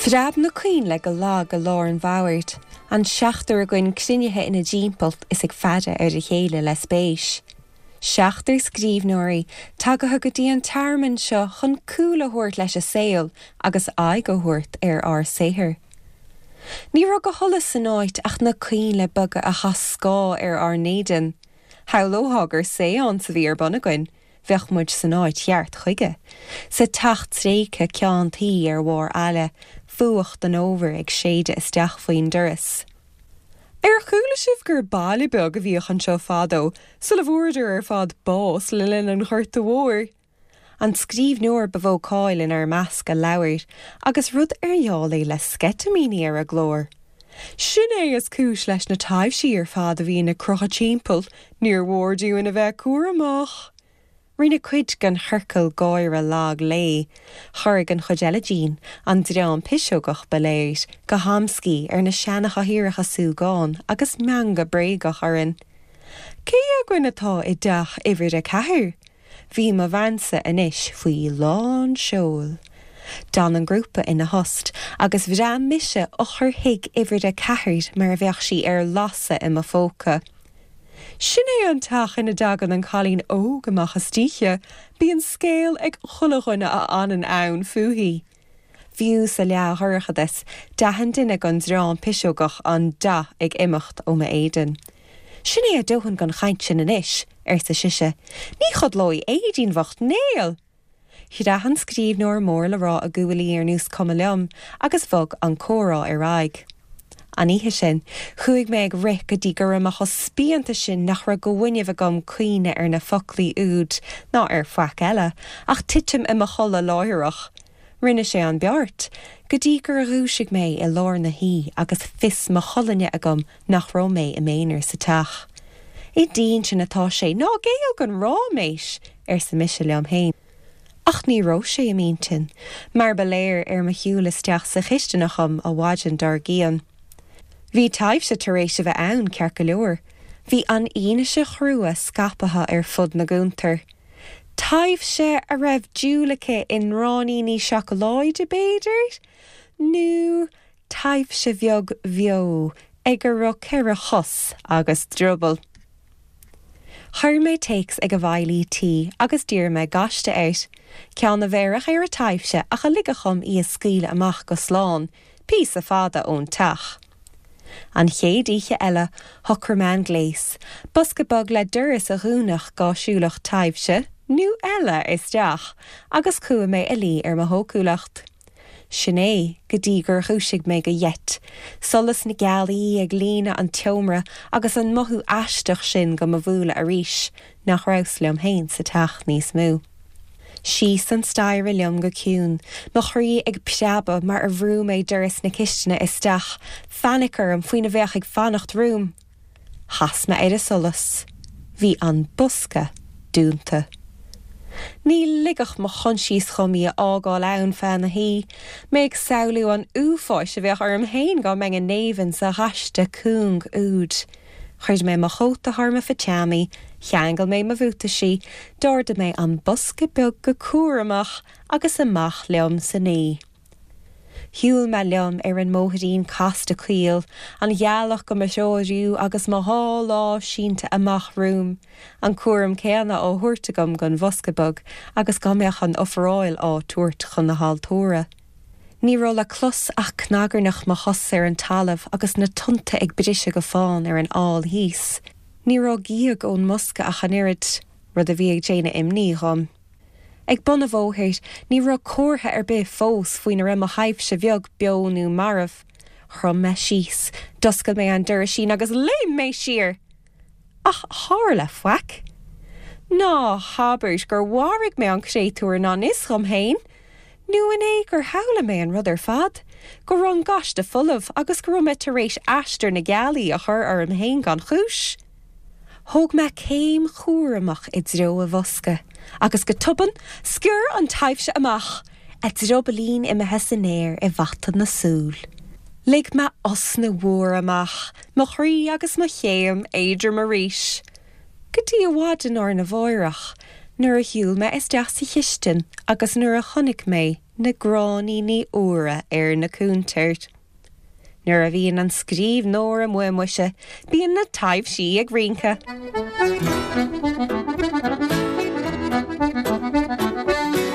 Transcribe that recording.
Phreab na coinnle go lag i lár an bhoird, an seachtar againn cruinnithe ina dtimpeall is ag faire ar a chéile le spéis. Seachtar scríbhneoirí tagaithe go dtí an tearmann seo chun cúl a thabhairt leis an saol agus aghaidh a thabhairt ar ár saothar. Ní raibh de sholas san áit ach na coinnle beaga a chaith scáth ar ár n-éadan. Shamhlófá gur séance a bhí ar bun againn, bheadh muid san áit cheart chuige, sa teach tréigthe ceann tuí ar bharr aille, fuacht an fhómhair ag séideadh isteach faoin doras. Ar chuala sibh gur baile beag a bhíodh anseo fadó, sula bhfuaireadar ar fad bás le linn an Ghorta Mhóir? An scríbhneoir ba mhó cáil inár measc a labhair, agus rud ar gheall é le sceitimíní ar a glór. Sin é is cúis leis na taibhsí ar fad a bhíonn ag crochadh timpeall, níor mhór dúinn a bheith cúramach. Rinne cuid den chiorcal gáire lag léi. Chorraigh an chuid eile dínn, an dream piseogach ba léir, go hamscaí ar na seanachathaoireacha súgáin agus meangadh bréagach orainn. Cé againn atá i dteach uimhir a ceathair? Bhí mo bheansa anois faoi lán seoil. D'fhan an grúpa ina thost agus bhreath mise eochair thigh uimhir a ceathair mar a bheadh sí ar lasadh i mo phóca. Sin é an teach ina dtagann an cailín óg amach istoíche, bíonn scéal ag chuile dhuine a fhanann ann fúithi. Fiú sa leathdhorchadas, d'aithin duine den dream piseogach an dath ag imeacht ó m'éadan. Sin é a dóthain den chaint sin anois, arsa sise. Ní chodlóidh Aedín bhocht néal! Chraith an scríbhneoir mór le rá a guaillí ar nós cuma liom agus bhog an comhrá ar aghaidh. An oíche sin, chuaigh mé ag rith go dtí go raibh mé chomh spíonta sin nach raibh de fhuinneamh agam cuimhneamh ar na foclaí úd ná ar faic eile, ach titim i mo chodladh láithreach. Rinne sé an beart, go dtí gur dhúisigh mé i lár na hoíche agus fios mo cholainne agam nach raibh mé i m'aonar sa teach. I d'intinn atá sé, ná géill don ráiméis! arsa mise liom féin. Ach ní raibh sé i m'intinn, mar ba léir ar mo shiúl isteach sa chisteanach dhom an mhaidin dár gcionn. Bhí taibhse tar éis a bheith ann, ceart go leor. Bhí an fhianaise chrua scaipthe ar fud na gcuntar. Taibhse a raibh dúil aici i ngráinníní seacláide, b'fhéidir? Nó taibhse bheag bheo ag a raibh ceithre chos agus drioball? Chuir mé téacs ag an bhfeighlí tí agus d'iarr mé gaiste air. Ceann a bhéarfadh ar an taibhse ach a ligfeadh dhom í a scaoileadh amach go slán, píosa fada ón teach. An chéad oíche eile, shocraigh mé an gléas, bosca beag le doras a dhúnfadh dhá siúlfadh taibhse, nó eile, isteach, agus chuaigh mé a luí ar mo shócúlacht. Sin é, go dtí gur dhúisigh mé go gheit, solas na gealaí ag líonadh an tseomra agus an mothú aisteach sin do mo bhualadh arís, nach rabhas liom féin sa teach níos mó. Síos an staighre liom go ciúin, mo chroí ag preabadh mar a bhrú mé doras na cistine isteach, fainic orm faoina bheadh ag fanacht romham. Chas mé ar an solas. Bhí an bosca dúnta. Ní ligfeadh mo choinsias dhom í a fhágáil ann feadh na hoíche, mé ag samhlú an uafáis a bheadh orm féin dá mbeinn i ngéibheann sa ghaiste cúng úd. Chuir mé mo chóta thar mo phatseámaí, cheangail mé mo bhuataisí, d'ardaigh mé an bosca beag go cúramach agus amach liom san oíche. Shiúil mé liom ar an mbóithrín casta caol, an ghealach do mo threorú agus mo dhá lámh sínte amach romham, an cúram céanna á thabhairt agam don bhosca beag agus dá mbeadh an ofráil á tabhairt chun na haltóra. Ní raibh le clos ach cnagarnach mo chos ar an talamh agus na tonnta ag briseadh go fán ar an aill thíos. Ní raibh gíog ón mbosca ach an oiread, rud a bhí ag déanamh imní dhom. Ag bun an bhóthair, ní raibh comhartha ar bith fós faoina raibh mo thaibhse bheag beo nó marbh. Chrom mé síos, d'oscail mé an doraisín agus léim mé siar! Ach tharla faic. Ná habair gur mharaigh mé an créatúr i ngan fhios dhom féin! Nó an é gur shamhlaigh mé an rud ar fad? Go raibh an gaiste folamh agus go raibh mé tar éis aistear na gealaí a chur orm féin gan chúis? Thóg mé céim chúramach i dtreo an bhosca, agus go tobann, sciorr an taibhse amach, a driobaillín imithe san aer i bhfaiteadh na súl. Lig mé osna mhór amach, mo chroí agus mo chéim éadrom arís. Go dtí an mhaidin arna mháireach, nuair a shiúil mé isteach sa chistin agus nuair a chonaic mé. na gráinníní úra ar na cúntair. Nuair a bhíonn an scríbhneoir amuigh, muise, bíonn na taibhsí ag rince.